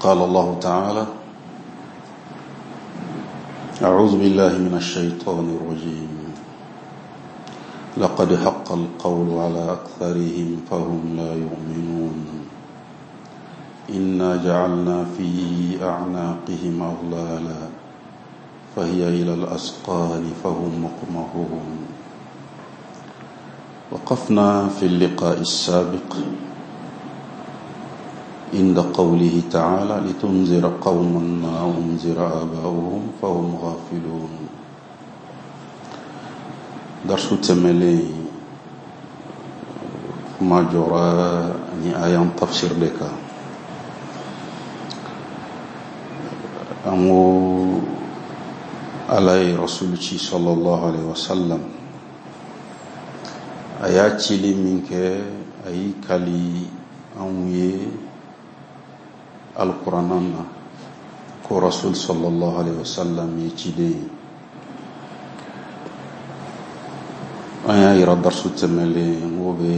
قال الله تعالى أعوذ بالله من الشيطان الرجيم لقد حق القول على أكثرهم فهم لا يؤمنون إنا جعلنا في أعناقهم أغلالا فهي إلى الأسقان فهم مقمحون وقفنا في اللقاء السابق عند قوله تعالى لتنذر قوما ما أنذر آباؤهم فهم غافلون درس تملي ما جرى ni ayan tafsir de kan an ko ala ye rasul ci sallallahu alaihi wasallam a y'a cili min kɛ a y'i kali anw ye alikuranna na ko rasul sallallahu alaihi wasallam ye ciden ye an y'a yira darisu tɛmɛlen n k'o bɛ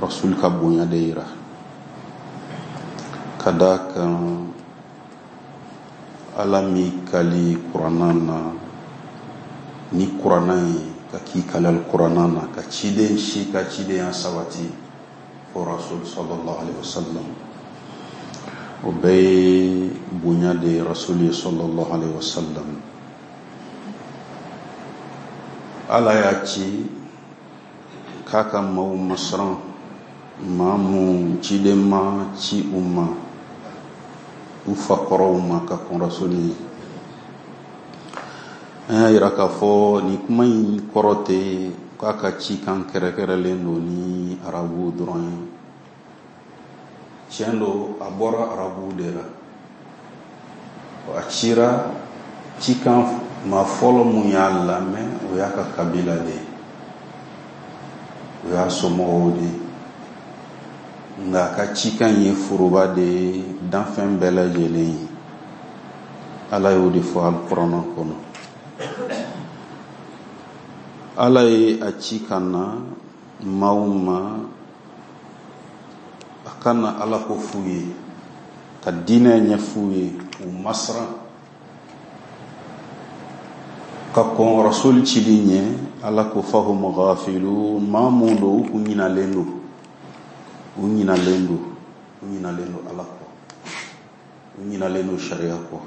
rasul ka bonya de yira ka d'a kan ala m'i kali kuranna na ni kuranna ye ka k'i kali alikuranna na ka ciden si ka cidenya sabati fo rasul sallallahu alaihi wasallam o bɛɛ ye bonya de ye rasul ye sallallahu alaihi wasallam ala y'a ci k'a ka maaw masiran maa mun ciden ma ci u ma u fakɔrɔw ma ka kɔn rasuli ɲɛ an y'a yira k'a fɔ nin kuma in kɔrɔ tɛ k'a ka cikan kɛrɛnkɛrɛnlen don ni arabuw dɔrɔn ye tiɲɛ don a bɔra arabuw de la a cira cikan maa fɔlɔ mun y'a lamɛn o y'a ka kabila de ye o y'a somɔgɔw de ye nka a ka cikan ye foroba de ye danfɛn bɛɛ lajɛlen ye ala y'o de fɔ alikuranna kɔnɔ ala ye a ci ka na maaw ma a ka na ala ko f'u ye ka diinɛ ɲɛf'u ye u masiran ka kɔn rasuli cili ɲɛ ala ko fahum ghafilun maa mun don u kun ɲinalen don u ɲinalen don u ɲinalen don ala kɔ u ɲinalen don sariya kɔ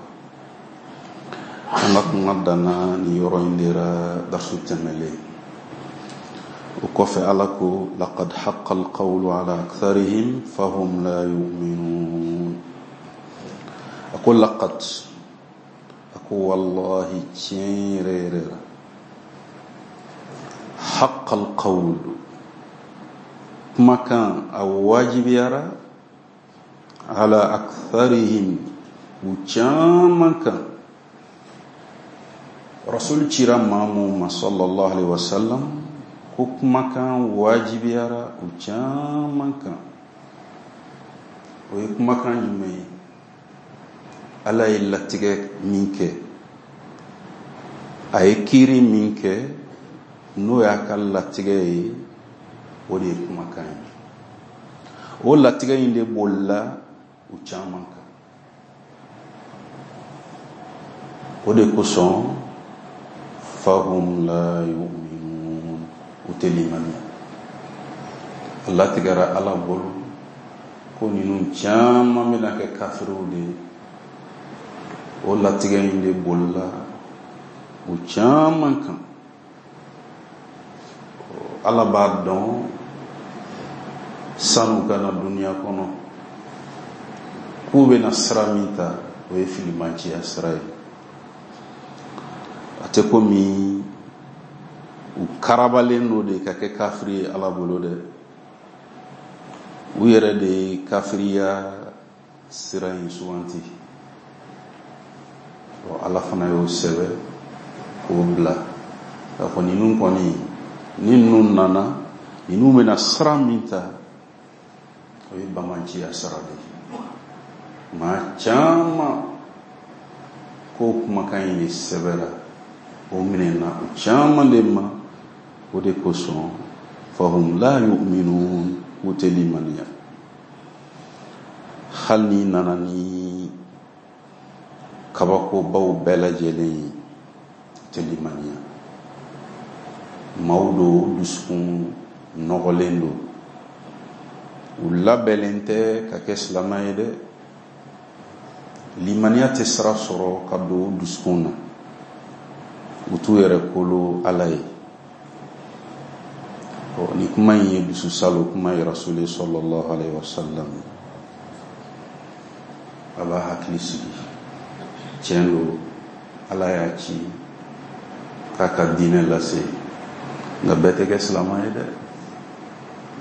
an ka kuma danna nin yɔrɔ in de ra darsu tɛmɛlen o kɔfɛ ala ko laqad haqqa alqawlu ala aktharihim fahum la yu'minun a ko laqad a ko wallahi tiɲɛ yɛrɛ yɛrɛ la haqqa alqawlu kumakan a wajibiyara ala aktharihim u caman kan rasul cira maa mun ma sallallahu alaihi wasallam ko kumakan wajibiyara u caman kan o ye kumakan jumɛn ye ala ye latigɛ min kɛ a ye kiiri min kɛ n'o y'a ka latigɛ ye o de ye kumakan ye o latigɛ in de bolila u caman kan o de kosɔn fahum la yu'minun u tɛ limaniya a latigɛra ala bolo ko ninnu caman bɛna kɛ kafiriw de ye o latigɛ in de bolila u caman kan ala b'a dɔn san'u ka na duniya kɔnɔ k'u bɛna sira min ta o ye filimanciya sira ye a tɛ komi u karabalen don de ka kɛ kafiri ye ala bolo dɛ u yɛrɛ de ye kafiriya sira in suganti ala fana y'o sɛbɛ k'o bila k'a fɔ ninnu kɔni ni ninnu nana ninnu bɛna sira min ta o ye bamanciya sira de ye maa caman ko kumakan in de sɛbɛra o minɛna u caman de ma o de kosɔn fahum la yu'minun k'u tɛ limaniya Hali n'i nana ni kabakobaw bɛɛ lajɛlen ye, u tɛ limaniya. Maaw don, u dusukun nɔgɔlen don, u labɛnlen tɛ ka kɛ silama ye dɛ. Limaniya tɛ sira sɔrɔ ka don u dusukun na, u t'u yɛrɛ kolo Ala ye. Ɔ, nin kuma in ye dususalo kuma ye Rasuli sallallahu alaihi wasallam. A b'a hakili sigi, tiɲɛ don, Ala y'a ci k'a ka diinɛ lase, nka bɛɛ tɛ kɛ silama ye dɛ,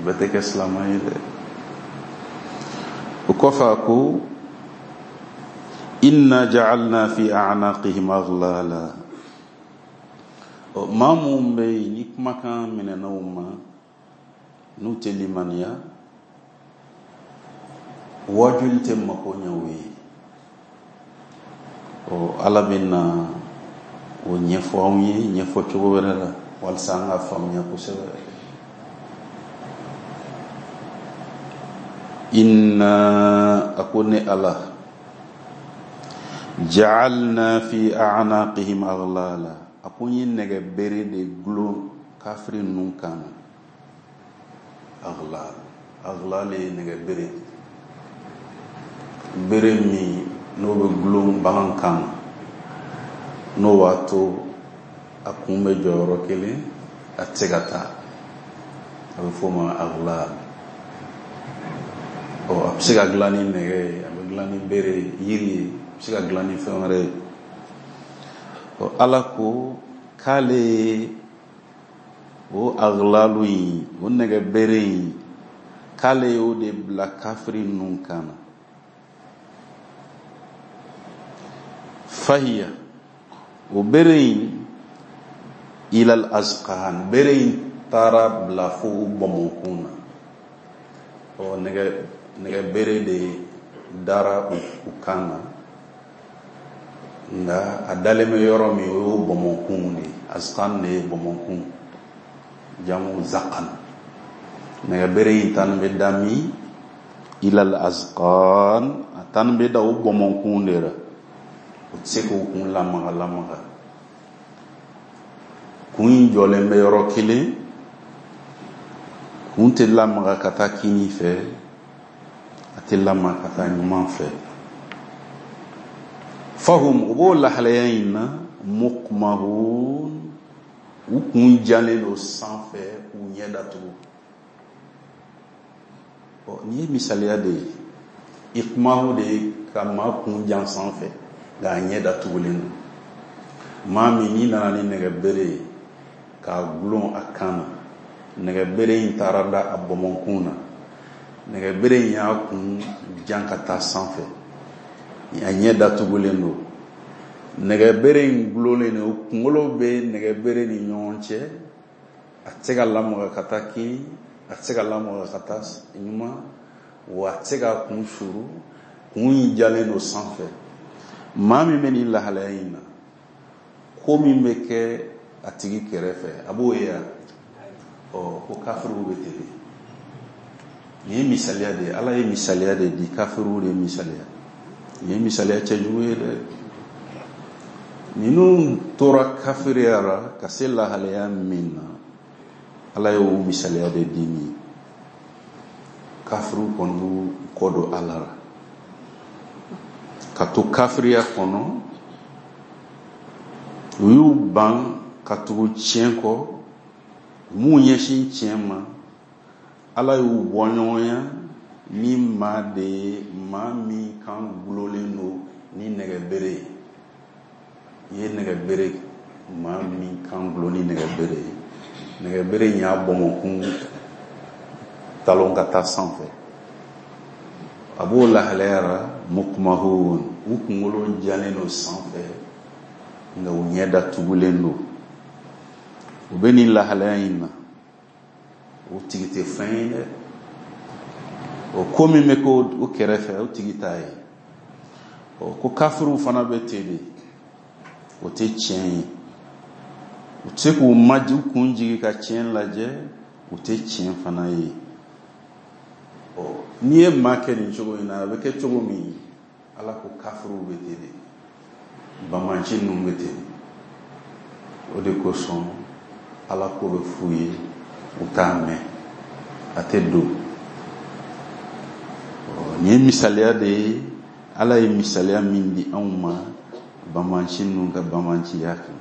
bɛɛ tɛ kɛ silama ye dɛ. O kɔfɛ a ko inna ja'alna fi a'naqihim aghlala. Ɔ, maa minnu bɛ yen ni kumakan minɛna u ma, n'u tɛ limaniya, wajuli tɛ mako ɲɛ u ye. Ɔ, Ala bɛ na o ɲɛfɔ anw ye ɲɛfɔ cogo wɛrɛ la walasa an ka faamuya kosɛbɛ. Inna, a ko ne Ala, ja'alna fi a'naqihim aghlala. A ko n ye nɛgɛ bere de gulon kafiri ninnu kan na. Aghlal, aghlal ye nɛgɛ bere, bere min n'o bɛ gulon bagan kan na, n'o b'a to a kun bɛ jɔ yɔrɔ kelen, a tɛ se ka taa, a bɛ f'o ma aghlal. Ɔ, a bɛ se ka dilan ni nɛgɛ ye, a bɛ dilan ni bere ye, yiri ye, a bɛ se ka dilan ni fɛn wɛrɛ ye. Ɔ, Ala ko k'ale ye o aghlalu in, o nɛgɛ bere in, k'ale y'o de bila kafiri ninnu kan na. Fahiya, o bere in, ilal azqan, bere in taara bila fo u bɔnbɔnkun na. Ɔ, nɛgɛ bere de dara u kan na, nka a dalen bɛ yɔrɔ min, o y'o bɔnbɔnkun de ye. Azqan de ye bɔnbɔnkun, jamu zaqan. Nɛgɛ bere in tan bɛ da min? Ilal azqan, a tan bɛ da o bɔnbɔnkun de la. O tɛ se k'o kun lamaga lamaga. Kun in jɔlen bɛ yɔrɔ kelen, kun tɛ lamaga ka taa kini fɛ, a tɛ lamaga ka taa ɲuman fɛ. Fahum, u b'o lahalaya in na, muqmahun, u kun jalen don sanfɛ k'u ɲɛ datugu. Ɔ, nin ye misaliya de ye. Iqmahu de ye ka maa kun jan sanfɛ, nka a ɲɛ datugulen don. Maa min n'i nana ni nɛgɛ bere ye k'a gulon a kan na, nɛgɛ bere in taara da a bɔnbɔnkun na, nɛgɛ bere in y'a kun jan ka taa sanfɛ, a ɲɛ datugulen don. Nɛgɛ bere in gulonlen don, kunkolo bɛ nɛgɛ bere ni ɲɔgɔn cɛ, a tɛ se ka lamaga ka taa kini, a tɛ se ka lamaga ka taa ɲuman, wa a tɛ se k'a kun suru, kun in jalen don sanfɛ. Maa min bɛ nin lahalaya in na, ko min bɛ kɛ a tigi kɛrɛfɛ, a b'o ye wa? Ɔ, ko kafiriw bɛ ten de. Nin ye misaliya de ye, Ala ye misaliya de di, kafiriw de ye misaliya. Nin ye misaliya cɛjugu ye dɛ. Ninnu tora kafiriya la ka se lahalaya min na, Ala y'o misaliya de di nin ye. Kafiriw kɔni b'u kɔ don Ala la ka to kafiriya kɔnɔ, u y'u ban ka tugu tiɲɛ kɔ, u m'u ɲɛsin tiɲɛ ma. Ala y'u bɔ ɲɔgɔnya ni maa de ye, maa min kan gulonlen don ni nɛgɛ bere ye. I ye nɛgɛ bere, maa min kan gulon ni nɛgɛ bere ye, nɛgɛ bere in y'a bɔnbɔnkun talon ka taa sanfɛ, a b'o lahalaya la, muqmahun, u kunkolo jalen don sanfɛ, nka u ɲɛ datugulen don. U bɛ nin lahalaya in na, o tigi tɛ fɛn ye dɛ. O ko min bɛ kɛ o kɛrɛfɛ, o tigi t'a ye. Ɔ, ko kafiriw fana bɛ ten de, o tɛ tiɲɛ ye. U tɛ se k'u maji, u kun jigin ka tiɲɛ lajɛ, u tɛ tiɲɛ fana ye. Ɔ n'i ye maa kɛ nin cogo in na, a bɛ kɛ cogo min, Ala ko kafiriw bɛ ten de, banbanci ninnu bɛ ten. O de kosɔn Ala ko bɛ f'u ye, u t'a mɛn, a tɛ don. Nin ye misaliya de ye, Ala ye misaliya min di anw ma banbanci ninnu ka banbanciya kan.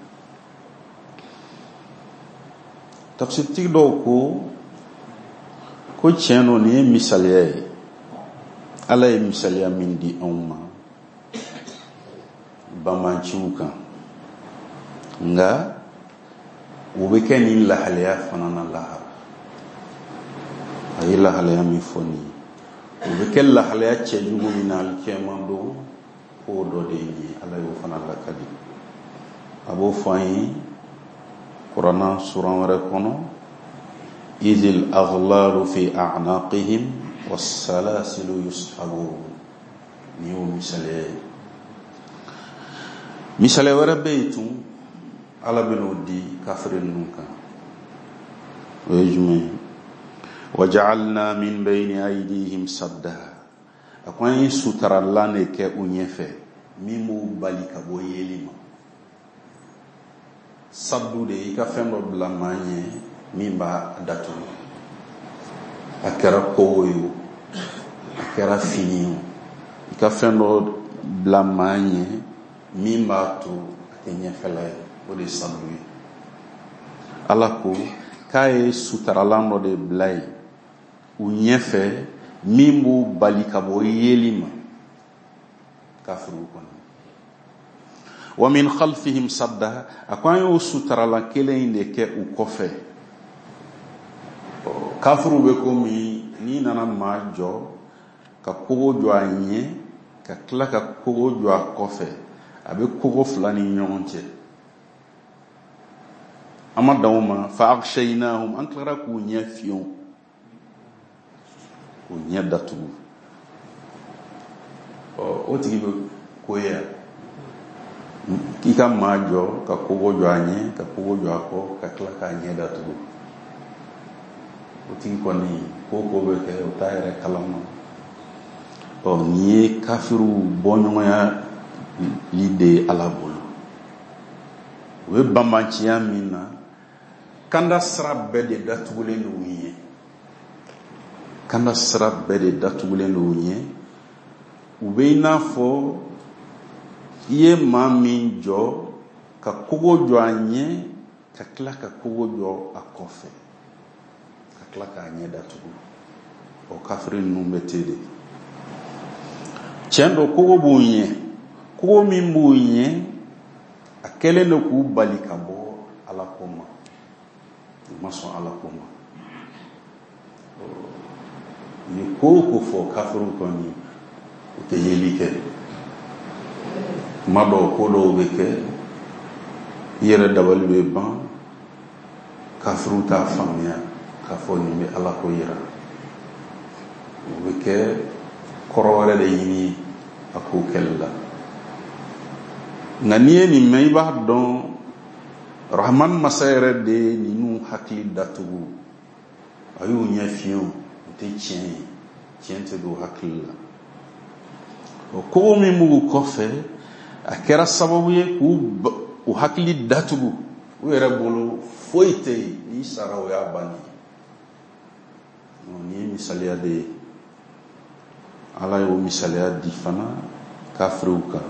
Tafsiritigi dɔw ko tiɲɛ don, nin ye misaliya ye, Ala ye misaliya min di anw ma banbanciw kan, nka u bɛ kɛ nin lahalaya fana na lahara. A ye lahalaya min fɔ nin ye, u bɛ kɛ lahalaya cɛjugu min na alikiyama don, k'o dɔ de ye nin ye. Ala y'o fana lakali, a b'o fɔ an ye Kurana suran wɛrɛ kɔnɔ, izil aghlalu fi a'naqihim wassalasilu yushabun. Nin y'o misaliya ye. Misaliya wɛrɛ bɛ yen tun, Ala bɛn'o di kafiri ninnu kan. O ye jumɛn ye? Waja'alna min bayni aydihim sadda. A ko an ye sutaralan de kɛ u ɲɛfɛ min b'u bali ka bɔ yeli ma. Saddu de ye i ka fɛn dɔ bila maa ɲɛ min b'a datugu. A kɛra kogo ye o, a kɛra fini ye o, i ka fɛn dɔ bila maa ɲɛ min b'a to a tɛ ɲɛfɛla ye, o de ye saddu ye. Ala ko k'a ye sutaralan dɔ de bila yen u ɲɛfɛ min b'u bali ka bɔ yeli ma, kafiriw kɔni. Wa min khalfihim sadda, a ko an y'o sutaralan kelen in de kɛ u kɔfɛ. Kafiriw bɛ komi n'i nana maa jɔ ka kogo jɔ a ɲɛ, ka tila ka kogo jɔ a kɔfɛ, a bɛ kogo fila ni ɲɔgɔn cɛ. An ma dan o ma, fa aghshaynahum, an tilara k'u ɲɛ fiyewu, k'u ɲɛ datugu. O tigi bɛ ko ye yan, k'i ka maa jɔ ka kogo jɔ a ɲɛ, ka kogo jɔ a kɔ, ka tila k'a ɲɛ datugu. O tigi kɔni ko ko bɛ kɛ, o t'a yɛrɛ kalama. Nin ye kafiriw bɔɲɔgɔnya li de ye Ala bolo. U bɛ banbanciya min na, kanda sira bɛɛ de datugulen don u ɲɛ. Kanda sira bɛɛ de datugulen don u ɲɛ. U bɛ i n'a fɔ i ye maa min jɔ ka kogo jɔ a ɲɛ, ka tila ka kogo jɔ a kɔfɛ, ka tila k'a ɲɛ datugu. O kafiri ninnu bɛ ten de. Tiɲɛ don, kogo b'u ɲɛ, kogo min b'u ɲɛ, a kɛlen don k'u bali ka bɔ Ala ko ma. U ma sɔn Ala ko ma. U ye ko o ko fɔ, kafiriw kɔni u tɛ yeli kɛ. Kuma dɔw, ko dɔw bɛ kɛ, i yɛrɛ dabali bɛ ban, kafiriw t'a faamuya k'a fɔ nin bɛ Ala ko yira. U bɛ kɛ kɔrɔ wɛrɛ de ɲini a ko kɛli la. Nka n'i ye nin mɛn, i b'a dɔn Rahman masa yɛrɛ de ye ninnu hakili datugu. A y'u ɲɛ fiyewu, u tɛ tiɲɛ ye, tiɲɛ tɛ don hakili la. O kogo min b'u kɔfɛ, a kɛra sababu ye k'u u hakili datugu. U yɛrɛ bolo foyi tɛ yen, n'i sara o y'a bannen ye. Nin ye misaliya de ye. Ala y'o misaliya di fana kafiriw kan.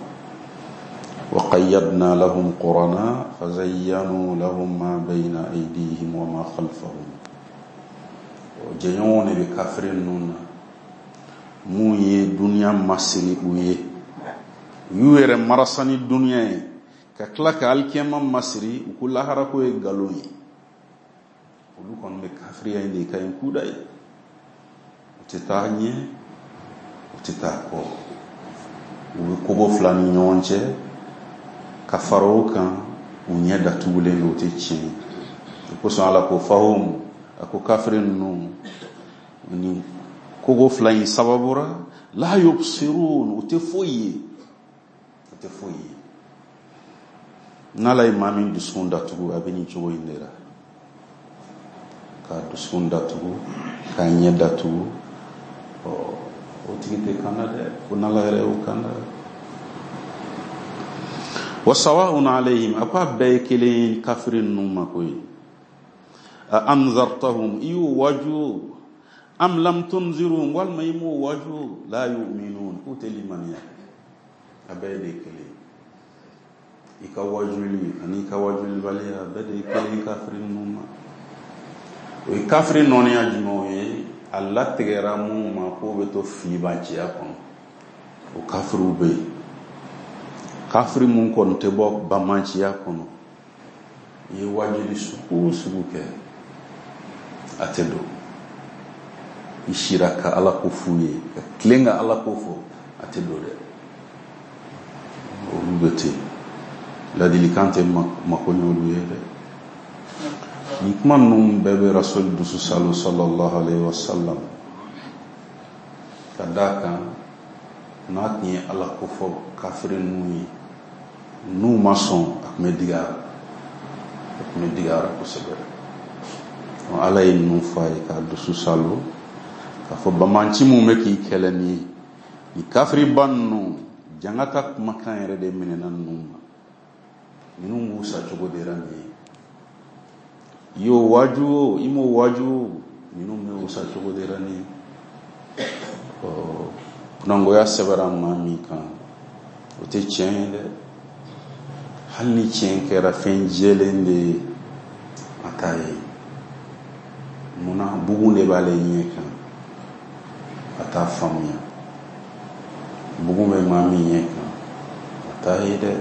Wa qayyadna lahum qurana fazayyanu lahum ma bayna aydihim wa ma khalfahum. O jɛɲɔgɔnw de bɛ kafiri ninnu na, mun ye duniya masiri u ye, u y'u yɛrɛ marasa ni duniya ye, ka tila ka alikiyama masiri, u ko lahara ko ye nkalon ye. Olu kɔni bɛ kafiriya in de ka ɲi kuda ye. U tɛ taa ɲɛ, u tɛ taa kɔ, u bɛ kogo fila ni ɲɔgɔn cɛ, ka fara o kan, u ɲɛ datugulen don, u tɛ tiɲɛ ye. O kosɔn Ala ko fahum, a ko kafiri ninnu ni kogo fila in sababu ra, la yubsirun, u tɛ foyi ye, u tɛ foyi ye. N'Ala ye maa min dusukun datugu, a bɛ nin cogo in de la, k'a dusukun datugu, k'a ɲɛ datugu, Ɔ, o tigi tɛ kanda dɛ, ko n'Ala yɛrɛ y'o kanda. Wa sawa'un alayhim, a ko a bɛɛ ye kelen ye kafiri ninnu ma koyi. A anzartahum, i y'u waju, am lam tunzirhum, walima i m'u waju, la yu'minun, k'u tɛ limaniya. A bɛɛ de ye kelen ye. I ka wajuli ani i ka wajulibaliya, a bɛɛ de ye kelen ye kafiri ninnu ma. O ye kafiri nɔniya jumɛnw ye? A latigɛra minnu ma k'o bɛ to filibanciya kɔnɔ, o kafiriw bɛ yen. Kafiri mun kɔni tɛ bɔ bamanciya kɔnɔ, i ye wajuli sugu o sugu kɛ, a tɛ don. I sira ka Ala ko f'u ye, ka tilen ka Ala ko fɔ, a tɛ don dɛ. Olu bɛ ten, ladilikan tɛ mako ɲɛ olu ye dɛ. Nin kuma ninnu bɛɛ bɛ Rasul dusu salo sallallahu alaihi wa sallam, ka d'a kan n'a tun ye Ala ko fɔ kafiri ninnu ye, n'u ma sɔn, a tun bɛ digi a la, a tun bɛ digi a la kosɛbɛ. Ala ye ninnu fɔ a ye k'a dusu salo, k'a fɔ bamanci mun bɛ k'i kɛlɛ nin ye, nin kafiriba ninnu, janga ta kumakan yɛrɛ de minɛna ninnu ma. Ninnu b'u sa cogo de la nin ye. I y'o waaju o, i m'o waaju o, ninnu bɛ u sa cogo de la nin ye. Ɔ, kunangoya sɛbɛra maa min kan, o tɛ tiɲɛ ye dɛ. Hali ni tiɲɛ kɛra fɛn jɛlen de ye, a t'a ye. Munna? Bugun de b'ale ɲɛ kan, a t'a faamuya. Bugun bɛ maa min ɲɛ kan, a t'a ye dɛ.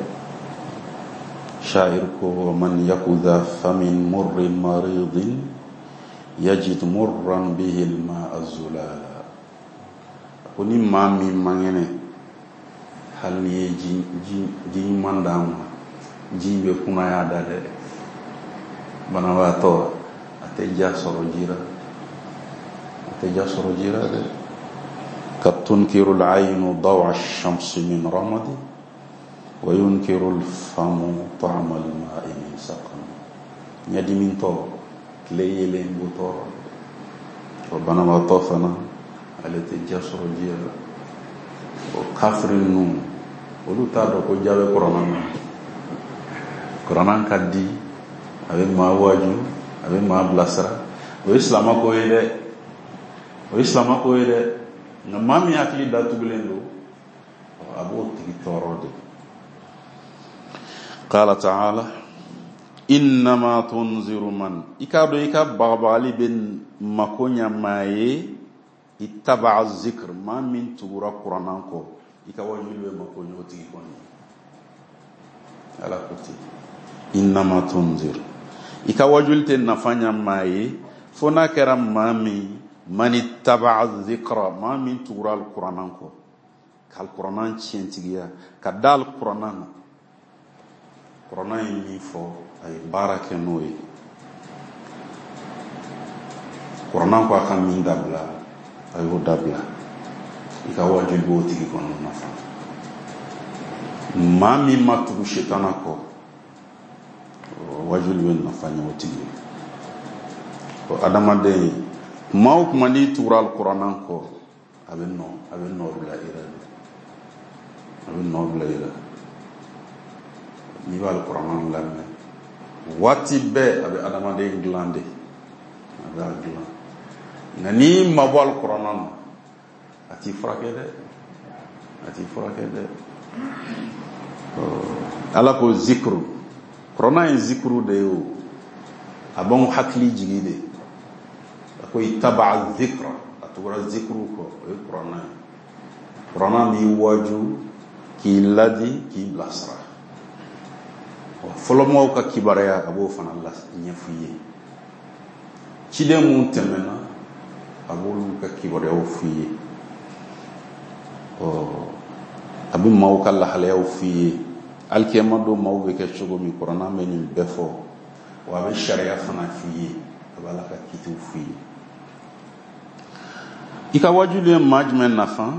Shair ko, man yaku dha famin murrin maridin yajid murran bihi al-ma'a zulala. Ko ni maa min man kɛnɛ, hali n'i ye ji ɲuman d'a ma, ji in bɛ kunnaya da dɛ. Banabaatɔ, a tɛ ja sɔrɔ ji la, a tɛ ja sɔrɔ ji la dɛ. Ka tunkiru al-aynu dawa ash-shamsi min ramadi wa yunkiru al-famu ta'ama al-ma'i min saqam. Ɲɛdimitɔ, tile yeelen b'o tɔɔrɔ. O banabaatɔ fana, ale tɛ ja sɔrɔ ji la. O kafiri ninnu, olu t'a dɔn ko ja bɛ kuranna na. Kuranna ka di, a bɛ maa waaju, a bɛ maa bilasira. O ye silamɛ ko ye dɛ, o ye silamɛ ko ye dɛ. Nka maa min hakili datugulen don, a b'o tigi tɔɔrɔ de. Qala ta'ala innama tunziru man, i k'a dɔn i ka bagabagali bɛ mako ɲa maa ye, ittaba'a zikr, maa min tugura kuranna kɔ, i ka wajuli bɛ mako ɲɛ o tigi kɔni. Ala ko ten, innama tunzir, i ka wajuli tɛ nafa ɲa maa ye fo n'a kɛra maa min, man ittaba'a zikra, maa min tugura alikuranna kɔ, ka alikuranna tiɲɛtigiya, ka da alikuranna na. Kuranna ye min fɔ, a ye baara kɛ n'o ye. Kuranna ko a ka min dabila, a y'o dabila. I ka wajuli b'o tigi kɔnɔ nafa. Maa min ma tugu setana kɔ, wajuli bɛ nafa ɲɛ o tigi ye. O adamaden, kuma o kuma n'i tugura alikuranna kɔ, a bɛ nɔ bila i la de. A bɛ nɔ bila i la. N'i bɛ alikuranna lamɛn, waati bɛɛ a bɛ adamaden dilan de. A bɛ a dilan. Nka n'i mabɔ alikuranna na, a t'i furakɛ dɛ. A t'i furakɛ dɛ. Ala ko zikuru. Kuranna ye zikuru de ye o. A b'anw hakili jigi de. A ko ittaba'a zikra, a tugura zikuru kɔ, o ye kuranna ye. Kuranna b'i waaju, k'i ladi, k'i bilasira. Fɔlɔmɔgɔw ka kibaruya, a b'o fana ɲɛf'i ye. Ciden mun tɛmɛna, a b'olu ka kibaruyaw f'i ye. A bɛ maaw ka lahalayaw f'i ye. Alikiyama don maaw bɛ kɛ cogo min, kuranna bɛ nin bɛɛ fɔ. Wa a bɛ sariya fana f'i ye, a bɛ Ala ka kitiw f'i ye. I ka wajuli ye maa jumɛn nafa?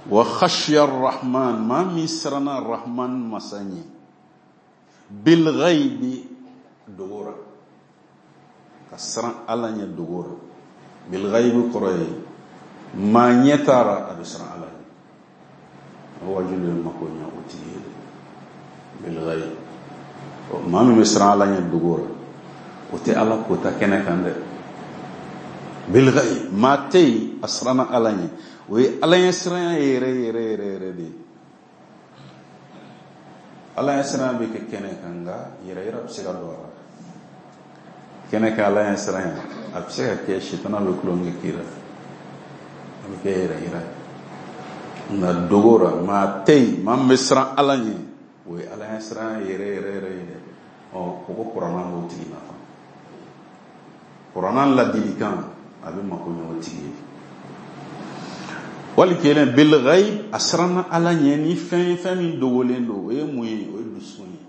Wa khashiya rahman, maa min siranna rahman masa ɲɛ, bil ghaibi, dogo la, ka siran Ala ɲɛ dogo la. Bil ghaibi kɔrɔ ye Maa ɲɛ t'a ra, a bɛ siran Ala ɲɛ. O wajuli bɛ mako ɲɛ o tigi ye dɛ. Bilghayb, maa min bɛ siran Ala ɲɛ dogo la, o tɛ Ala kota kɛnɛ kan dɛ. Bilghayb, maa tɛ yen a siranna Ala ɲɛ, o ye Ala ɲɛ siranya yɛrɛ yɛrɛ yɛrɛ yɛrɛ de ye. Ala ɲɛ siranya bɛ kɛ kɛnɛ kan, nka yɛrɛ yɛrɛ bɛ se ka don a la. Kɛnɛ kan Ala ɲɛ siranya, a bɛ se ka kɛ sitana bɛ tulonkɛ k'i la, a bɛ kɛ yɛrɛ yɛrɛ. Nka dogo la, maa tɛ yen maa min bɛ siran Ala ɲɛ, o ye Ala ɲɛ siranya yɛrɛ yɛrɛ yɛrɛ ye dɛ. Ɔ, o ko kuranna b'o tigi nafa. Kuranna ladilikan, a bɛ mako ɲɛ o tigi ye. Wali kelen, bilghayb, a siranna Ala ɲɛ ni fɛn ye, fɛn min dogolen don. O ye mun ye? O ye dusukun ye.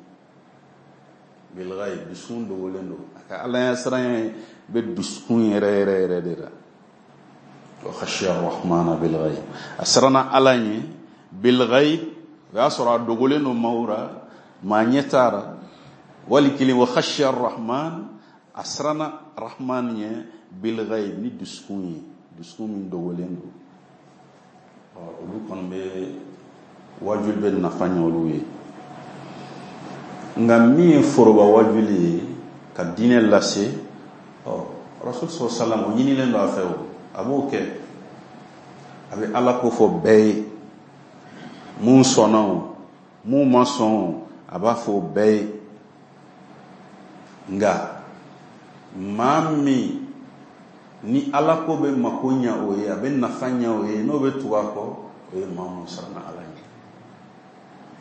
Bilghayb, dusukun dogolen don. A ka Ala ɲɛ siranya bɛ dusukun yɛrɛ yɛrɛ yɛrɛ de la. Wa khashiya rahmana bilghayb, a siranna Ala ɲɛ bilghayb, o y'a sɔrɔ a dogolen don maaw ra, maa ɲɛ t'a ra. Wali kelen, wa khashiya rahman, a siranna rahman ɲɛ bilghayb ni dusukun ye, dusukun min dogolen don. Olu kɔni bɛ wajuli bɛ nafa ɲɛ olu ye. Nka min ye foroba wajuli ye ka diinɛ lase, ɔ, Rasul sɔrɔ salam, o ɲinilen don a fɛ, o a b'o kɛ, a bɛ Ala ko fɔ bɛɛ ye. Mun sɔnna o, mun ma sɔn o, a b'a fɔ o bɛɛ ye. Nka maa min ni Ala ko bɛ mako ɲɛ o ye, a bɛ nafa ɲɛ o ye, n'o bɛ tugu a kɔ, o ye maa mun siranna Ala ɲɛ,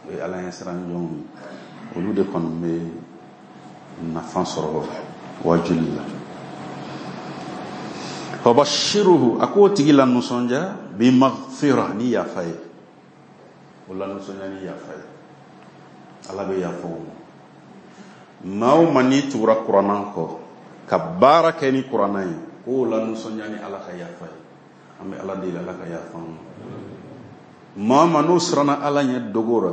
o ye Ala ɲɛ siran jɔnw ye. Olu de kɔni bɛ nafa sɔrɔ wajuli la. Fabashiruhu, a k'o tigi la nisɔndiya, bi maghfira, ni yafa ye. O la nisɔndiya ni yafa ye, Ala bɛ yafa o ma. Maa o maa n'i tugura kuranna kɔ ka baara kɛ ni kuranna ye, k'o la nisɔndiya ni Ala ka yafa ye. An bɛ Ala deli, Ala ka yafa an ma. Maa o maa n'o siranna Ala ɲɛ dogo la,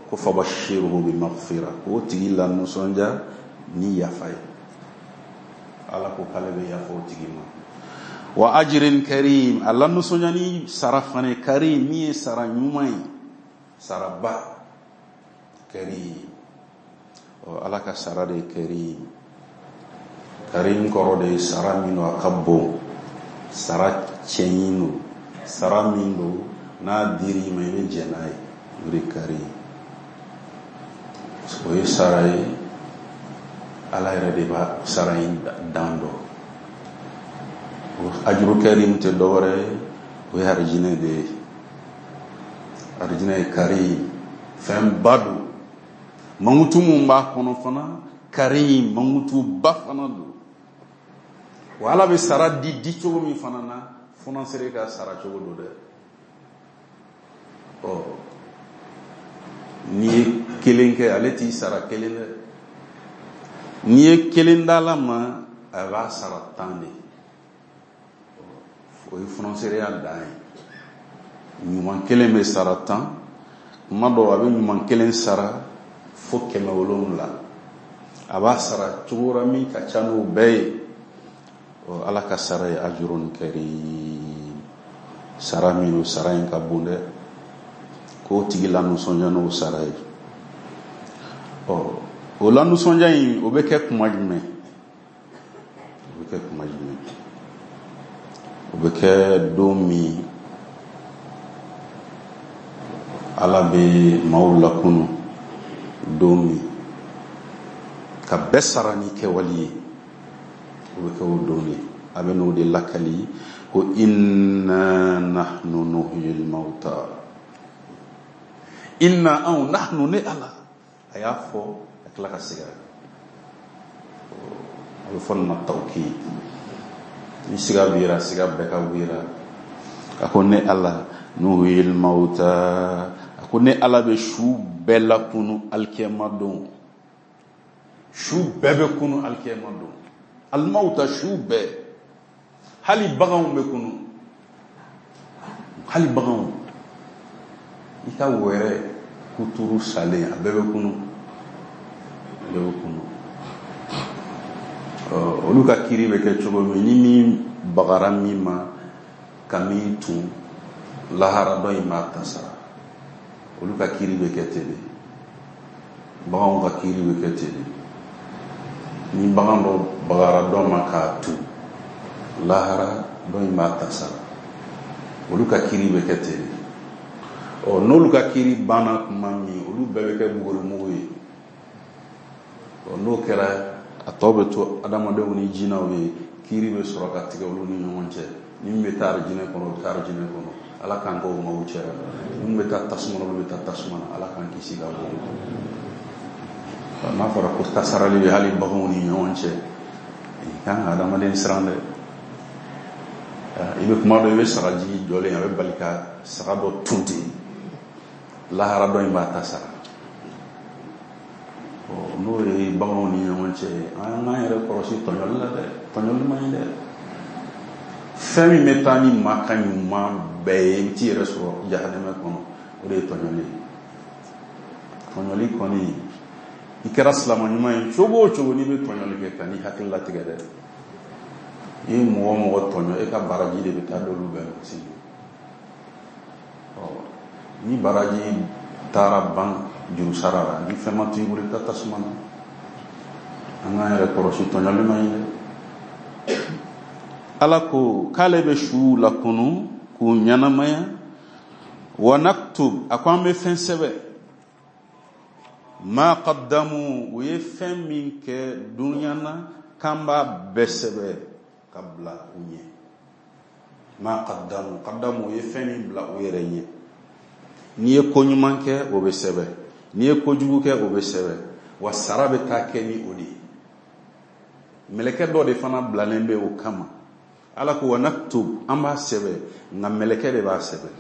ko fabashiruhu bi maghfira, k'o tigi la nisɔndiya ni yafa ye. Ala ko k'ale bɛ yafa o tigi ma. Wa ajrin karim, a la nisɔndiya ni sara fana ye, karim, min ye sara ɲuman ye, saraba karim. Ɔ, Ala ka sara de ye karim. Karim kɔrɔ de ye sara min don, a ka bon, sara cɛɲi don, sara min don n'a dir'i ma, i bɛ jɛn n'a ye, o de ye karim. O ye sara ye, Ala yɛrɛ de b'a sara in dan dɔn. O ajuru karim tɛ dɔwɛrɛ ye, o ye arijinɛ de ye. Arijinɛ ye karim, fɛnba don. Mankutu mun b'a kɔnɔ fana, karim, mankutuba fana don. Wa Ala bɛ sara di di cogo min fana na, funansere ka sara cogo don dɛ. Ɔ, n'i ye kelen kɛ, ale t'i sara kelen dɛ. N'i ye kelen d'Ala ma, a b'a sara 10 de. O ye funansereya dan ye. Ɲuman kelen bɛ sara 10, kuma dɔw a bɛ ɲuman kelen sara fo 700. A b'a sara cogo wɛrɛ min ka ca n'o bɛɛ ye. Ɔ, Ala ka sara ye ajurun karim, sara min o sara in ka bon dɛ, k'o tigi la nisɔndiya n'o sara ye. Ɔ, o la nisɔndiya in, o bɛ kɛ kuma jumɛn? O bɛ kɛ kuma jumɛn? O bɛ kɛ don min Ala bɛ maaw lakunu, don min ka bɛɛ sara ni kɛwale ye, o bɛ kɛ o don de. A bɛ n'o de lakali ko inna nahnu nuhyil mauta. Inna, anw, nahnu, ne Ala. A y'a fɔ ka tila ka segin a kan. A bɛ fɔ nin ma tawkid. Ni siga bira, siga bɛɛ ka wira. A ko ne Ala, nuhyil mauta, a ko ne Ala bɛ su bɛɛ lakunu alikiyama don. Su bɛɛ bɛ kunu alikiyama don. Alimawuta, su bɛɛ, hali baganw bɛ kunu, hali baganw, i ka wɛrɛ kuturu salen, a bɛɛ bɛ kunu, a bɛɛ bɛ kunu. Olu ka kiri bɛ kɛ cogo min, ni min bagara min ma, ka min tun, lahara dɔ in b'a ta sara. Olu ka kiiri bɛ kɛ ten de, baganw ka kiiri bɛ kɛ ten de. Ni bagan dɔ bagara dɔ ma k'a tu, lahara dɔ in b'a ta sara. Olu ka kiiri bɛ kɛ ten de. Ɔ, n'olu ka kiiri banna tuma min, olu bɛɛ bɛ kɛ bugurimugu ye. Ɔ, n'o kɛra, a tɔ bɛ to adamadenw ni jinɛw ye. Kiiri bɛ sɔrɔ ka tigɛ olu ni ɲɔgɔn cɛ. Ni min bɛ taa arijinɛ kɔnɔ, o bɛ taa arijinɛ kɔnɔ, Ala k'an kɛ o maaw cɛra. Minnu bɛ taa tasuma na, olu bɛ taa tasuma na, Ala k'an kisi ka bɔ o ma. N'a fɔra ko tasarali bɛ hali baganw ni ɲɔgɔn cɛ, i kan ka adamaden siran dɛ. I bɛ kuma dɔ, i bɛ sagajigi jɔlen, a bɛ bali ka saga dɔ tun ten, lahara dɔ in b'a ta sara. N'o ye baganw ni ɲɔgɔn cɛ, an k'an yɛrɛ kɔlɔsi tɔɲɔli la dɛ. Tɔɲɔli man ɲi dɛ. Fɛn min bɛ taa ni maa ka ɲuman bɛɛ ye, i bɛ t'i yɛrɛ sɔrɔ jahanɛmɛ kɔnɔ, o de ye tɔɲɔli ye. Tɔɲɔli kɔni, i kɛra silama ɲuman ye cogo o cogo, n'i bɛ tɔɲɔli kɛ, ka n'i hakili latigɛ dɛ. I ye mɔgɔ o mɔgɔ tɔɲɔ, e ka baraji de bɛ taa d'olu bɛɛ ma sini. Ɔ, ni baraji taara ban juru sara la, ni fɛn ma to i bolo, i bɛ taa tasuma na. An k'an yɛrɛ kɔlɔsi, tɔɲɔli man ɲi dɛ. Ala ko k'ale bɛ suw lakunu k'u ɲɛnamaya. Wa naktub, a ko an bɛ fɛn sɛbɛn, ma qaddamu, u ye fɛn min kɛ dunuya na, k'an b'a bɛɛ sɛbɛn ka bila u ɲɛ. Ma qaddamu, qaddamu, u ye fɛn min bila u yɛrɛ ɲɛ. N'i ye ko ɲuman kɛ, o bɛ sɛbɛn. N'i ye kojugu kɛ, o bɛ sɛbɛn. Wa sara bɛ taa kɛ ni o de ye. Mɛlɛkɛ dɔ de fana bilalen bɛ o kama. Ala ko wa naktub, an b'a sɛbɛn, nka mɛlɛkɛ de b'a sɛbɛn.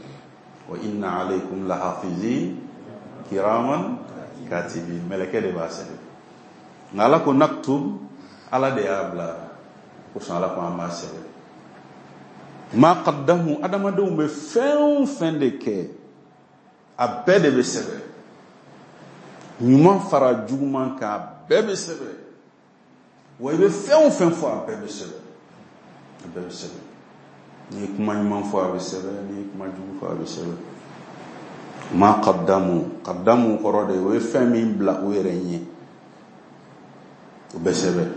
Wa inna alaykum lahafizin kiraman katibin, mɛlɛkɛ de b'a sɛbɛn. Nka Ala ko naktub, Ala de y'a bila kosɔn. Ala ko an b'a sɛbɛn. Ma qaddamu, adamadenw bɛ fɛn o fɛn de kɛ, a bɛɛ de bɛ sɛbɛn. Ɲuman fara juguman kan, a bɛɛ bɛ sɛbɛn. Wa i bɛ fɛn o fɛn fɔ, a bɛɛ bɛ sɛbɛn, a bɛɛ bɛ sɛbɛn. N'i ye kuma ɲuman fɔ, a bɛ sɛbɛn. N'i ye kuma jugu fɔ, a bɛ sɛbɛn. Ma qaddamu, qaddamu kɔrɔ de, o ye fɛn min bila u yɛrɛ ɲɛ, o bɛ sɛbɛn.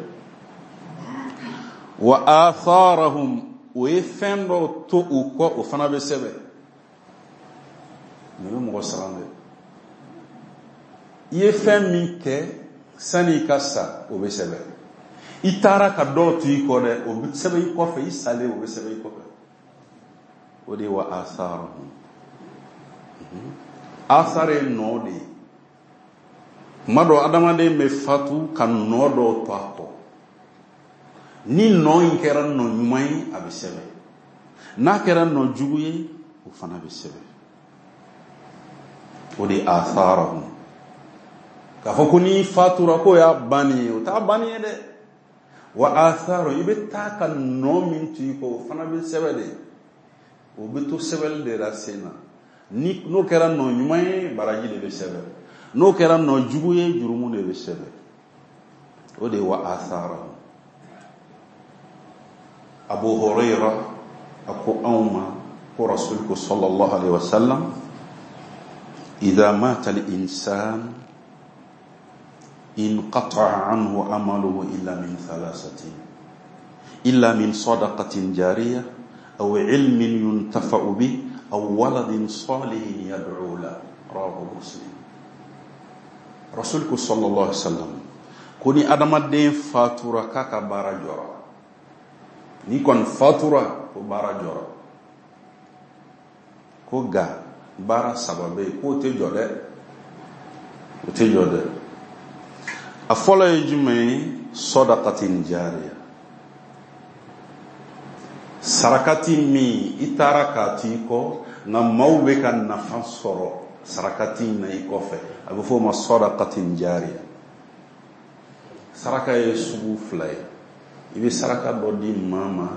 Wa atharahum, o ye fɛn dɔw to u kɔ, o fana bɛ sɛbɛn. Nin bɛ mɔgɔ siran dɛ. I ye fɛn min kɛ sani i ka sa, o bɛ sɛbɛn. I taara ka dɔw to i kɔ dɛ, o bɛ sɛbɛn i kɔfɛ. I salen, o bɛ sɛbɛn i kɔfɛ. O de ye wa atharahum. Athar ye nɔ de ye. Kuma dɔ, adamaden bɛ fatu ka nɔ dɔw to a kɔ. Ni nɔ in kɛra nɔ ɲuman ye, a bɛ sɛbɛn. N'a kɛra nɔ jugu ye, o fana bɛ sɛbɛn. O de ye atharahum. K'a fɔ ko n'i fatura k'o y'a banni ye, o t'a banni ye dɛ. Wa atharu, i bɛ taa ka nɔ min to i kɔ, o fana bɛ sɛbɛn de. O bɛ to sɛbɛnni de la sen na. Ni n'o kɛra nɔ ɲuman ye, baraji de bɛ sɛbɛn. N'o kɛra nɔ jugu ye, jurumu de bɛ sɛbɛn. O de ye wa atharahum. Abu Huraira a ko anw ma ko Rasul ko sallallahu alaihi wasallam: idha mata al-insan inqata'a anhu amaluhu illa min thalathatin, illa min sadaqatin jariyah aw ilmin yuntafa'u bih aw waladin salihin yad'u la. Rawahu Muslim. Rasul ko sallallahu alaihi wasallam ko ni adamaden fatura, k'a ka baara jɔra. Ni kɔni fatura, ko baara jɔra. Ko nka baara saba bɛ yen k'o tɛ jɔ dɛ, o tɛ jɔ dɛ. A fɔlɔ ye jumɛn ye? Sadaqatin jariya, sarakati min i taara k'a to i kɔ, nka maaw bɛ ka nafa sɔrɔ sarakati in na i kɔfɛ, a bɛ fɔ o ma sadaqatin jariya. Saraka ye sugu fila ye. I bɛ saraka dɔ di maa ma,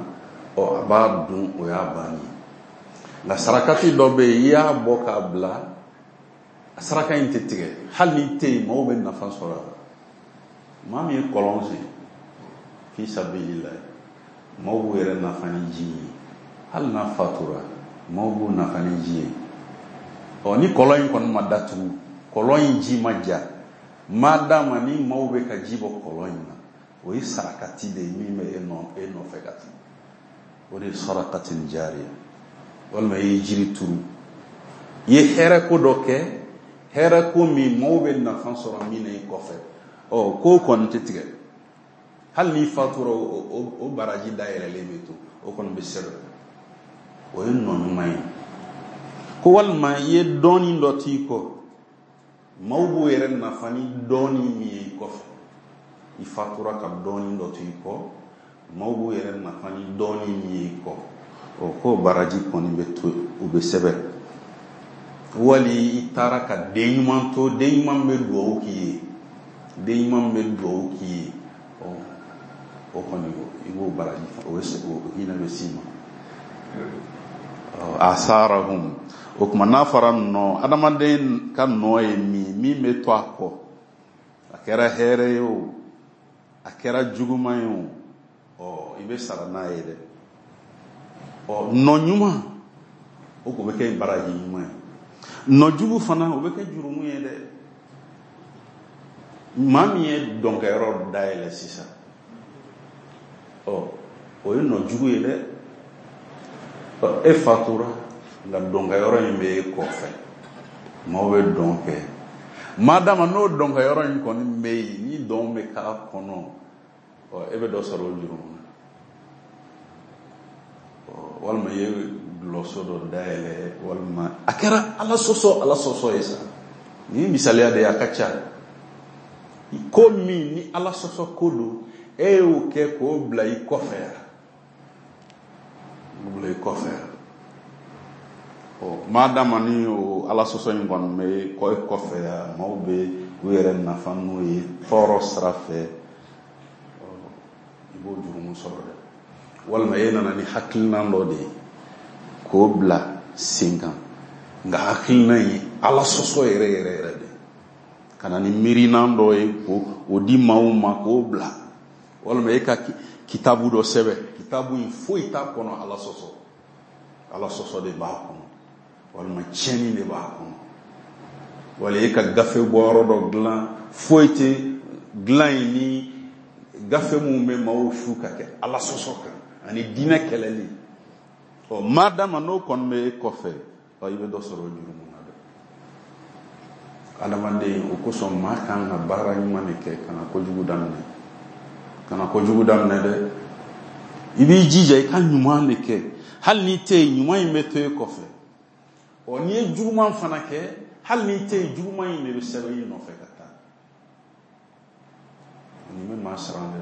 ɔ, a b'a dun, o y'a banni ye. Nka sarakati dɔ bɛ yen, i y'a bɔ k'a bila, a saraka in tɛ tigɛ. Hali n'i tɛ yen, maaw bɛ nafa sɔrɔ a la. Maa min ye kɔlɔn sen fi sabilillah, maaw b'u yɛrɛ nafa ni ji ye. Hali n'a fatura, maaw b'u nafa ni ji ye. Ɔ, ni kɔlɔn in kɔni ma datugu, kɔlɔn in ji ma ja, madama ni maaw bɛ ka ji bɔ kɔlɔn in na, o ye sarakati de ye min bɛ e nɔ e nɔfɛ ka taa. O de ye sarakatin jariya. Walima i ye jiri turu, i ye hɛrɛ ko dɔ kɛ, hɛrɛ ko min maaw bɛ nafa sɔrɔ min na i kɔfɛ. Ɔ, k'o kɔni tɛ tigɛ. Hali n'i fatura, o baraji dayɛlɛlen bɛ to, o kɔni bɛ sɛbɛn. O ye nɔ ɲuman ye. Ko walima i ye dɔɔni dɔ t'i kɔ, maaw b'u yɛrɛ nafa ni dɔɔni min ye i kɔfɛ. I fatura ka dɔɔni dɔ to i kɔ, maaw b'u yɛrɛ nafa ni dɔɔni min ye i kɔ, o k'o baraji kɔni bɛ to, o bɛ sɛbɛn. Wali i taara ka den ɲuman to, den ɲuman bɛ duwawu k'i ye, den ɲuman bɛ duwawu k'i ye, ɔ, o kɔni i b'o baraji, o hinɛ bɛ s'i ma. Asarahum, o tuma n'a fɔra nɔ, adamaden ka nɔ ye min, min bɛ to a kɔ, a kɛra hɛrɛ ye o, a kɛra juguman ye o, ɔ, i bɛ sara n'a ye dɛ. Ɔ, nɔ ɲuman, o ko bɛ kɛ baraji ɲuman ye. Nɔ jugu fana, o bɛ kɛ jurumu ye dɛ. Maa min ye dɔnkɛyɔrɔ dayɛlɛ sisan, ɔ, o ye nɔ jugu ye dɛ. Ɔ, e fatura, nka dɔnkɛyɔrɔ in bɛ e kɔfɛ, maaw bɛ dɔn kɛ. Madama n'o dɔnkɛyɔrɔ in kɔni bɛ yen, ni dɔn bɛ k'a kɔnɔ, ɔ, e bɛ dɔ sɔrɔ o jurumu na. Ɔ, walima i ye dulɔso dɔ dayɛlɛ, walima a kɛra Ala sɔsɔ, Ala sɔsɔ ye sa. Nin ye misaliya de ye, a ka ca. Ko min ni Ala sɔsɔ ko don, e y'o kɛ k'o bila i kɔfɛ yan. K'o bila i kɔfɛ yan. Ɔ, madama ni o Ala sɔsɔ in kɔni bɛ kɔ e kɔfɛ yan, maaw bɛ u yɛrɛ nafa n'o ye tɔɔrɔ sira fɛ, ɔ, i b'o jurumu sɔrɔ dɛ. Walima e nana ni hakilina dɔ de ye k'o bila sen kan, nka hakilina in Ala sɔsɔ yɛrɛ yɛrɛ yɛrɛ de, ka na ni miirinan dɔ ye k'o di maaw ma k'o bila. Walima e ka kitabu dɔ sɛbɛn, kitabu in foyi t'a kɔnɔ Ala sɔsɔ, Ala sɔsɔ de b'a kɔnɔ, walima tiɲɛni de b'a kɔnɔ. Wala e ka gafe bɔyɔrɔ dɔ dilan, foyi tɛ dilan in ni gafe mun bɛ maaw su ka kɛ Ala sɔsɔ kan ani diinɛ kɛlɛli. Ɔ, madama n'o kɔni bɛ e kɔfɛ, ɔ, i bɛ dɔ sɔrɔ o jurumu na dɛ. Adamaden, o kosɔn maa kan ka baara ɲuman de kɛ, kana kojugu daminɛ, kana kojugu daminɛ dɛ. I b'i jija i ka ɲuman de kɛ, hali n'i tɛ yen, ɲuman in bɛ to e kɔfɛ. Ɔ, n'i ye juguman fana kɛ, hali n'i tɛ yen, juguman in de bɛ sɛbɛn i nɔfɛ ka taa. Nin bɛ maa siran dɛ.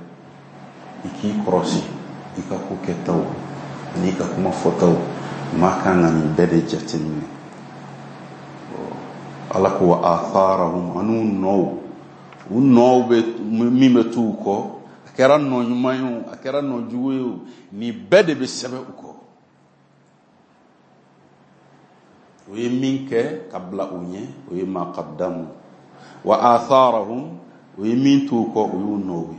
I k'i kɔlɔsi i ka ko kɛtaw ani i ka kuma fɔtaw, maa kan ka nin bɛɛ de jateminɛ. Ala ko wa atharahum, an'u nɔw, u nɔw bɛ min bɛ t'u kɔ, a kɛra nɔ ɲuman ye o, a kɛra nɔ jugu ye o, nin bɛɛ de bɛ sɛbɛn u kɔ. O ye min kɛ ka bila u ɲɛ, o ye ma qaddamu. Wa atharahum, o ye min t'u kɔ, o y'u nɔw ye.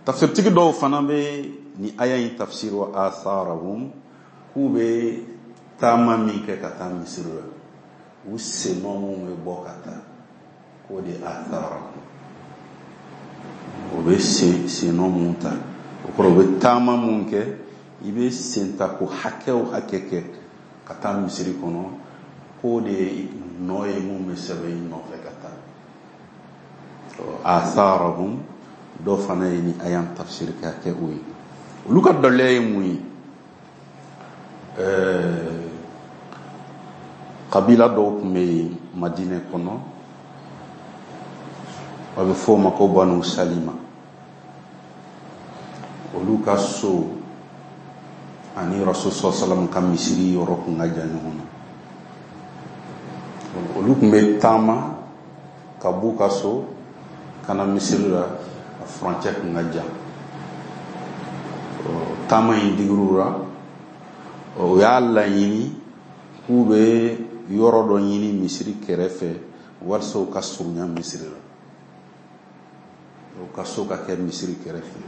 Tafsirtigi dɔw fana bɛ ni aya in tafsir wa atharahum, k'u bɛ taama min kɛ ka taa misiri la, u sennɔ mun bɛ bɔ ka taa, k'o de atharahum. O bɛ sennɔ mun ta, o kɔrɔ u bɛ taama mun kɛ, i bɛ sen ta ko hakɛ o hakɛ kɛ ka taa misiri kɔnɔ, k'o de ye nɔ ye mun bɛ sɛbɛn i nɔfɛ ka taa. Atharahum, dɔw fana ye ni aya tafsir ka kɛ o ye. Olu ka daliya ye mun ye? Kabila dɔw tun bɛ yen Madinɛ kɔnɔ, a bɛ fɔ o ma ko Banu Salima. Olu ka so ani Rasul sallallahu alaihi wasallam ka misiri yɔrɔ tun ka jan ɲɔgɔn na. Olu tun bɛ taama ka b'u ka so ka na misiri la, a furancɛ tun ka jan. Taama in digir'u la, o y'a laɲini k'u bɛ yɔrɔ dɔ ɲini misiri kɛrɛfɛ walasa u ka surunya misiri la, u ka so ka kɛ misiri kɛrɛfɛ.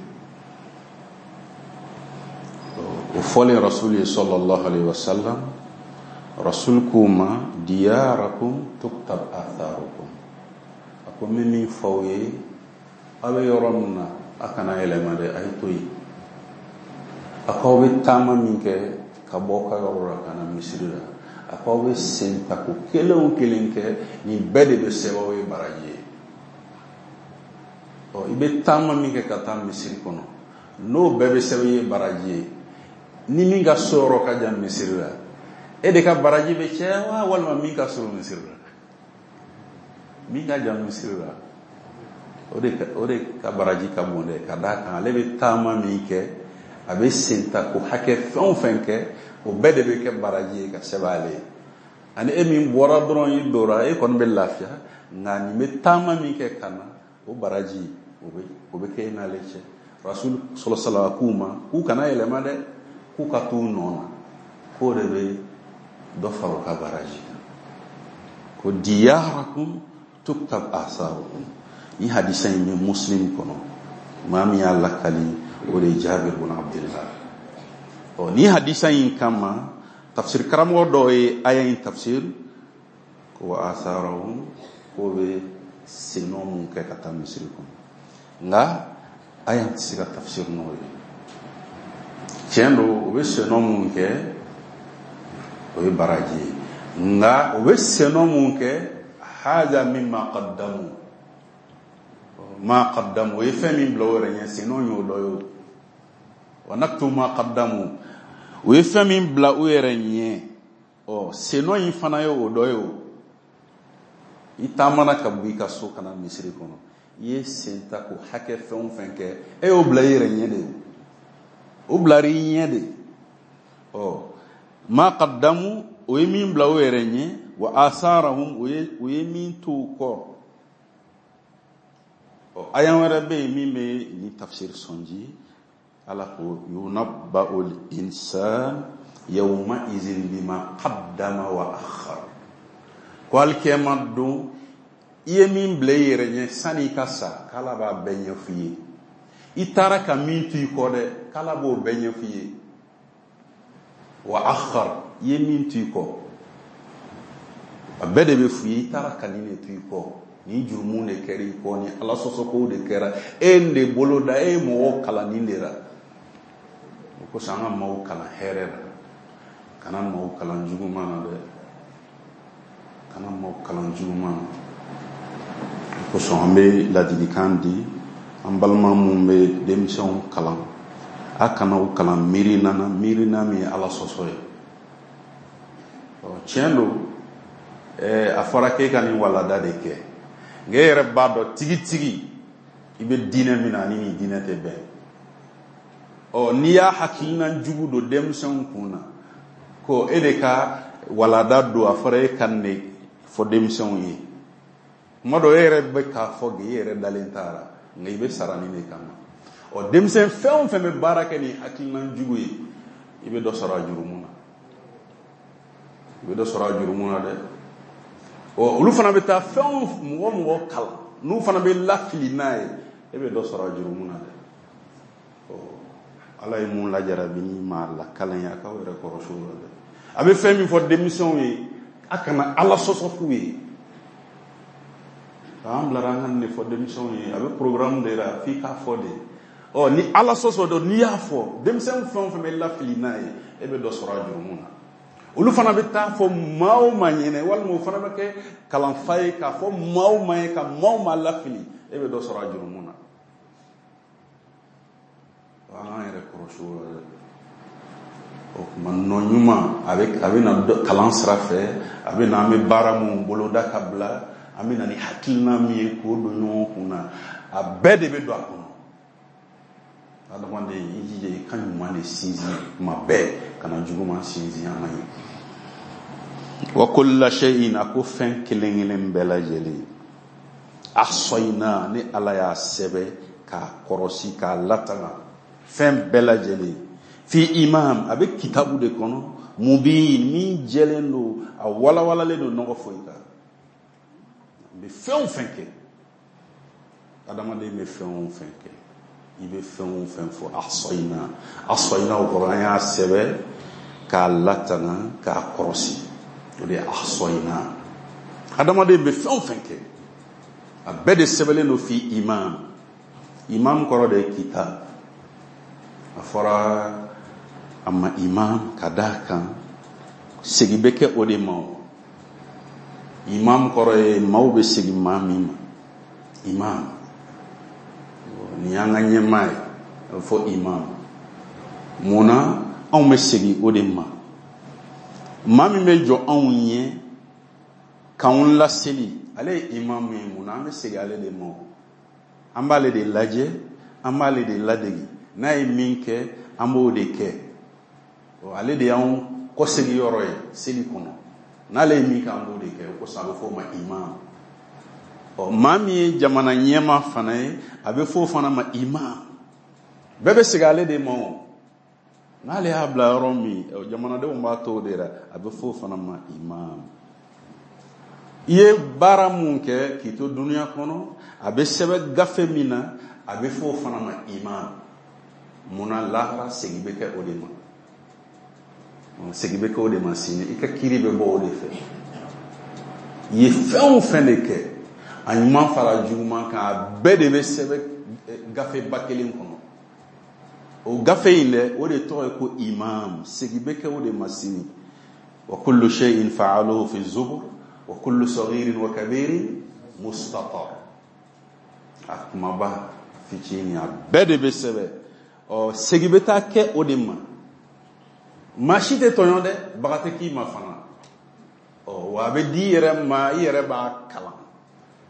O fɔlen Rasul ye sallallahu alaihi wasallam, Rasul k'u ma diyarakum tuktab atharukum. A ko n bɛ min fɔ aw ye, aw bɛ yɔrɔ min na, a kana yɛlɛma dɛ, a ye to yen. A ko aw bɛ taama min kɛ ka bɔ aw ka yɔrɔ la ka na misiri la, a ko aw bɛ sen tako kelen o kelen kɛ, nin bɛɛ de bɛ sɛbɛn aw ye baraji ye. Ɔ, i bɛ taama min kɛ ka taa misiri kɔnɔ, n'o bɛɛ bɛ sɛbɛn i ye baraji ye, ni min ka so yɔrɔ ka jan misiri la, e de ka baraji bɛ caya wa, walima min ka surun misiri la? Min ka jan misiri la, o de ka baraji ka bon dɛ, ka d'a kan ale bɛ taama min kɛ, a bɛ sen ta ko hakɛ fɛn o fɛn kɛ, o bɛɛ de bɛ kɛ baraji ye ka sɛbɛn ale ye. Ani e min bɔra dɔrɔn i dora, e kɔni bɛ lafiya, nka nin bɛ taama min kɛ ka na, o baraji o bɛ kɛ e n'ale cɛ. Rasul sallallahu alaihi wasallam k'u ma k'u kana yɛlɛma dɛ, k'u ka t'u nɔ na, k'o de bɛ dɔ fara u ka baraji kan. Ko diyarakum tuktab asarukum. Ni hadisa in bɛ Muslim kɔnɔ, maa min y'a lakali o de ye Jabir bun Abdullah. Ɔ, ni hadisa in kama tafsir karamɔgɔ dɔw ye aya in tafsir ko wa asarahum, k'o bɛ sennɔ mun kɛ ka taa misiri kɔnɔ, nka aya tɛ se ka tafsir n'o ye. Tiɲɛ don, u bɛ sennɔ mun kɛ o ye baraji ye, nka u bɛ sennɔ mun kɛ, haza mimma qaddamu, ma qaddamu, o ye fɛn min bila o yɛrɛ ɲɛ, sennɔ y'o dɔ ye o. Wa naktu ma qaddamu, o ye fɛn min bila u yɛrɛ ɲɛ, ɔ sennɔ in fana ye o dɔ ye o. I taamana ka bɔ i ka so ka na misiri kɔnɔ, i ye sen ta ko hakɛ fɛn o fɛn kɛ, e y'o bila i yɛrɛ ɲɛ de o, o bilara i ɲɛ de. Ɔ, ma qaddamu, o ye min bila o yɛrɛ ɲɛ, wa asarahum, o ye min to u kɔ. Ɔ, aya wɛrɛ bɛ yen min bɛ nin tafsir sɔnji. Ala ko yunabba'ul insan yawma izin bima qaddama wa akhar. Ko alikiyama don, i ye min bila i yɛrɛ ɲɛ sani i ka sa, k'Ala b'a bɛɛ ɲɛf'i ye. I taara ka min to i kɔ dɛ, k'Ala b'o bɛɛ ɲɛf'i ye. Wa akhar, i ye min to i kɔ, a bɛɛ de bɛ f'i ye. I taara ka nin de to i kɔ, nin jurumu de kɛra i kɔ, nin Ala sɔsɔkow de kɛra, e de bolo da, e ye mɔgɔw kalan nin de la. O kosɔn an ka maaw kalan hɛrɛ la, kana maaw kalan juguman na dɛ, kana maaw kalan juguman na. O kosɔn an bɛ ladilikan di an balima minnu bɛ denmisɛnw kalan, a kana u kalan miirina na, miirina min ye Ala sɔsɔ ye. Ɔ, tiɲɛ don, a fɔra k'e ka nin walada de kɛ, nka e yɛrɛ b'a dɔn tigitigi i bɛ diinɛ min na ani nin diinɛ tɛ bɛn. Ɔ, n'i y'a hakilina jugu don denmisɛnw kun na ko e de ka walada don, a fɔra e ka nin de fɔ denmisɛnw ye, kuma dɔ e yɛrɛ bɛ k'a fɔ e yɛrɛ dalen t'a la, nka i bɛ sara nin de kama. Ɔ, denmisɛn fɛn o fɛn bɛ baara kɛ ni hakilina jugu ye, i bɛ dɔ sɔrɔ a jurumu na, i bɛ dɔ sɔrɔ a jurumu na dɛ. Ɔ, olu fana bɛ taa fɛn o mɔgɔ o mɔgɔ kalan, n'u fana bɛ lafili n'a ye, e bɛ dɔ sɔrɔ a jurumu na dɛ. Ɔ, Ala ye mun lajarabi ni maa lakalan ye, a k'aw yɛrɛ kɔrɔsi o la dɛ. A bɛ fɛn min fɔ denmisɛnw ye, a kana Ala sɔsɔ f'u ye. K'an bilara an ka nin de fɔ denmisɛnw ye, a bɛ programme de la f'i k'a fɔ de. Ɔ, ni Ala sɔsɔ don, n'i y'a fɔ denmisɛn fɛn o fɛn bɛ lafili n'a ye, e bɛ dɔ sɔrɔ a jurumu na. Olu fana bɛ taa fɔ maa o maa ɲɛnɛ, walima o fana bɛ kɛ kalanfa ye k'a fɔ maa o maa ye ka maa o maa lafili, e bɛ dɔ sɔrɔ a jurumu na. An k'an yɛrɛ kɔlɔsi o la dɛ. O tuma nɔ ɲuman a bɛ na kalan sira fɛ, a bɛ na an bɛ baara mun boloda ka bila, an bɛ na ni hakilina min ye k'o don ɲɔgɔn kun na, a bɛɛ de bɛ don a kɔnɔ. Adamaden, i jija i ka ɲuman de sinsin kuma bɛɛ, kana juguman sinsin a man ɲi. Wa kulla shay'in, a ko fɛn kelen kelen bɛɛ lajɛlen, ahsayna, ni Ala y'a sɛbɛn k'a kɔrɔsi k'a latanga, fɛn bɛɛ lajɛlen, fi imam, a bɛ kitabu de kɔnɔ, mubin, min jɛlen don, a walawalalen don, nɔgɔ foyi t'a la. N bɛ fɛn o fɛn kɛ, adamaden bɛ fɛn o fɛn kɛ, I bɛ fɛn o fɛn fɔ, ahsayna, ahsayna, o kɔrɔ an y'a sɛbɛn k'a latanga, k'a kɔrɔsi. O de ye ahsayna. Adamaden bɛ fɛn o fɛn kɛ, a bɛɛ de sɛbɛnlen don fi imam. Imam kɔrɔ de ye kitab. A fɔra a ma imam ka d'a kan segin bɛ kɛ o de ma. O imam kɔrɔ ye maaw bɛ segin maa min ma. Imam, nin y'an ka ɲɛmaa ye, a bɛ fɔ imam. Mun na anw bɛ segin o de ma? Maa min bɛ jɔ anw ɲɛ k'anw laseli, ale ye imam ye. Mun na an bɛ segin ale de ma? An b'ale de lajɛ, an b'ale de ladegi. N'a ye min kɛ, an b'o de kɛ. Ale de y'anw kɔsegin yɔrɔ ye seli kɔnɔ. N'ale ye min kɛ, an b'o de kɛ. O kosɔn a bɛ fɔ o ma imam. Ɔ, maa min ye jamana ɲɛmaa fana ye, a bɛ fɔ o fana ma imam. Bɛɛ bɛ segin ale de ma. O n'ale y'a bila yɔrɔ min, jamanadenw b'a to o de la. A bɛ fɔ o fana ma imam. I ye baara mun kɛ k'i to dunuya kɔnɔ, a bɛ sɛbɛn gafe min na, a bɛ fɔ o fana ma imam. Munna? Lahara segin bɛ kɛ o de ma. Segin bɛ kɛ o de ma sini. I ka kiiri bɛ bɔ o de fɛ. I ye fɛn o fɛn de kɛ, a ɲuman fara juguman kan, a bɛɛ de bɛ sɛbɛn gafeba kelen kɔnɔ. O gafe in dɛ, o de tɔgɔ ye ko imam. Segin bɛ kɛ o de ma sini. Wa kullu shay'in fa'aluhu fi zubur wa kullu saghirin wa kabirin mustatar. A kumaba, fitinin, a bɛɛ de bɛ sɛbɛn. Ɔ, segin bɛ taa kɛ o de ma. Maa si tɛ tɔɲɔ dɛ, baga tɛ k'i ma fana. Ɔ, wa a bɛ di i yɛrɛ ma, i yɛrɛ b'a kalan.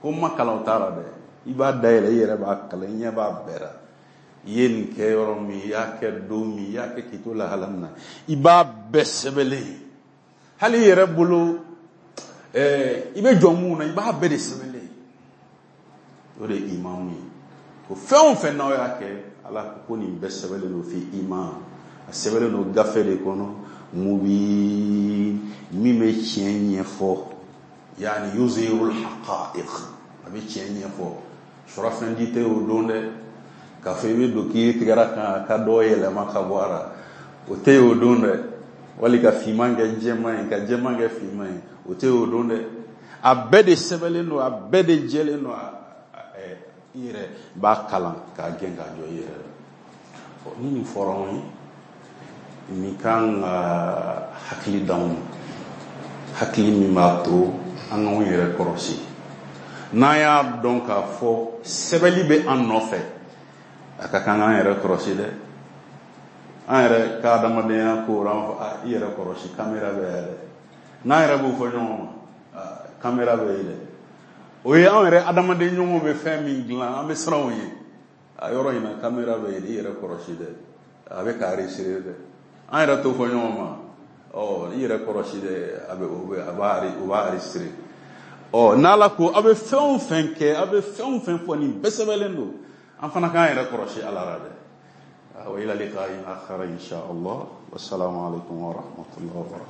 Ko n ma kalan, o t'a la dɛ. I b'a dayɛlɛ, i yɛrɛ b'a kalan, i ɲɛ b'a bɛɛ la. I ye nin kɛ yɔrɔ min, i y'a kɛ don min, i y'a kɛ k'i to lahala min na, i b'a bɛɛ sɛbɛnlen. Hali i yɛrɛ bolo, i bɛ jɔ mun na, i b'a bɛɛ de sɛbɛnlen. O de ye imamu ye. Ko fɛn o fɛn n'aw y'a kɛ, Ala ko nin bɛɛ sɛbɛnlen don fi imam. A sɛbɛnlen don gafe de kɔnɔ, mubin, min bɛ tiɲɛ ɲɛfɔ. Yani yuzhirul haqa'iq, a bɛ tiɲɛ ɲɛfɔ. Surafɛn di tɛ o don dɛ, k'a fɔ i bɛ don k'i tigɛra kan ka dɔ yɛlɛma ka bɔ a la, o tɛ o don dɛ. Wali ka finman kɛ jɛman ye, ka jɛman kɛ finman ye, o tɛ o don dɛ. A bɛɛ de sɛbɛnlen don, a bɛɛ de jɛlen don. I yɛrɛ b'a kalan k'a gɛn k'a jɔ i yɛrɛ la. Ni nin fɔra anw ye, nin kan ka hakili d'anw ma, hakili min b'a to an k'anw yɛrɛ kɔrɔsi. N'an y'a dɔn k'a fɔ sɛbɛnli bɛ an nɔfɛ, a ka kan k'an yɛrɛ kɔrɔsi dɛ. An yɛrɛ ka adamadenya ko la, an b'a fɔ, i yɛrɛ kɔrɔsi, kamera bɛ yan dɛ. N'an yɛrɛ b'o fɔ ɲɔgɔn ma, kamera bɛ yen dɛ. O ye anw yɛrɛ adamaden ɲɔgɔnw bɛ fɛn min dilan, an bɛ siran o ye. A yɔrɔ in na, kamera bɛ yen, i yɛrɛ kɔrɔsi dɛ, a bɛ ka enregistrer dɛ. An yɛrɛ t'o fɔ ɲɔgɔn ma. Ɔ, i yɛrɛ kɔrɔsi dɛ, a bɛ o bɛ a b'a o b'a enregistrer. Ɔ, n'Ala ko aw bɛ fɛn o fɛn kɛ, aw bɛ fɛn o fɛn fɔ, nin bɛɛ sɛbɛnlen don. An fana k'an yɛrɛ kɔrɔsi Ala la dɛ. Wa ila liqa'in akhar insha Allah. Wassalamu alaikum wa rahmatullahi wa barakatuh.